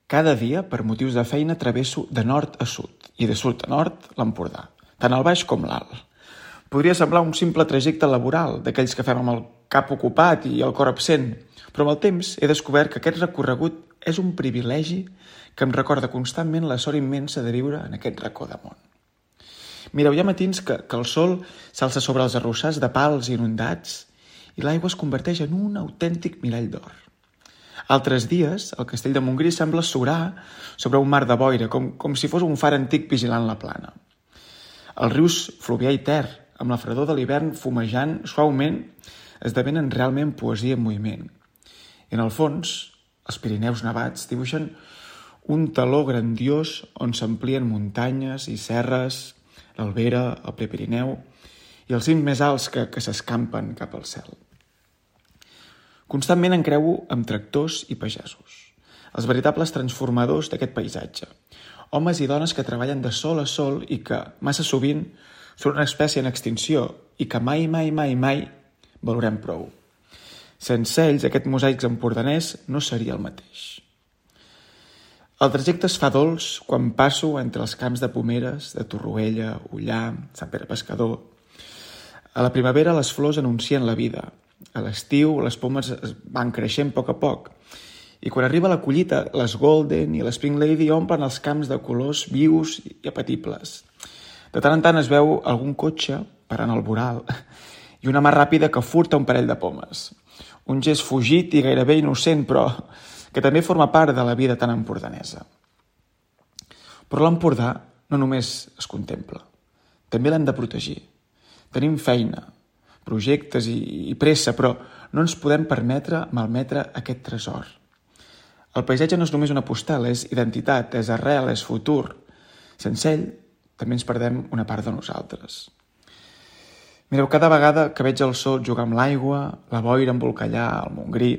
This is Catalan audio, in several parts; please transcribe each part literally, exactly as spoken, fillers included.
Cada dia, per motius de feina, travesso de nord a sud i de sud a nord l'Empordà, tant el baix com l'alt. Podria semblar un simple trajecte laboral, d'aquells que fem amb el cap ocupat i el cor absent, però amb el temps he descobert que aquest recorregut és un privilegi que em recorda constantment la sort immensa de viure en aquest racó de món. Mireu, hi ha matins que, que el sol s'alça sobre els arrossars de pals inundats i l'aigua es converteix en un autèntic mirall d'or. Altres dies, el castell de Montgrí sembla surar sobre un mar de boira, com, com si fos un far antic vigilant la plana. Els rius Fluvià i Ter, amb la fredor de l'hivern fumejant suaument, esdevenen realment poesia en moviment. I en el fons, els Pirineus nevats dibuixen un taló grandiós on s'amplien muntanyes i serres, l'Albera, el Prepirineu i els cims més alts que, que s'escampen cap al cel. Constantment em creuo amb tractors i pagesos, els veritables transformadors d'aquest paisatge, homes i dones que treballen de sol a sol i que, massa sovint, són una espècie en extinció i que mai, mai, mai, mai valorem prou. Sense ells, aquest mosaic empordanès no seria el mateix. El trajecte es fa dolç quan passo entre els camps de pomeres de Torroella, Ullà, Sant Pere Pescador. A la primavera les flors anuncien la vida. A l'estiu les pomes van creixent a poc a poc. I quan arriba la collita, les Golden i les Pink Lady omplen els camps de colors vius i apetibles. De tant en tant es veu algun cotxe parant al voral i una mà ràpida que furta un parell de pomes. Un gest fugit i gairebé innocent, però que també forma part de la vida tan empordanesa. Però l'Empordà no només es contempla, també l'hem de protegir. Tenim feina, projectes i, i pressa, però no ens podem permetre malmetre aquest tresor. El paisatge no és només una postal, és identitat, és arrel, és futur. Sense ell, també ens perdem una part de nosaltres. Mireu, cada vegada que veig el sol jugar amb l'aigua, la boira embolcallar el Montgrí,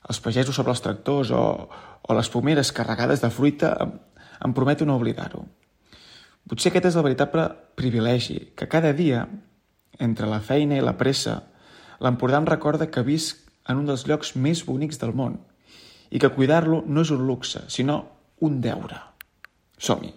els pagesos sobre els tractors o, o les pomeres carregades de fruita, em, em prometo no oblidar-ho. Potser aquest és el veritable privilegi, que cada dia, entre la feina i la pressa, l'Empordà em recorda que visc en un dels llocs més bonics del món i que cuidar-lo no és un luxe, sinó un deure. Som-hi!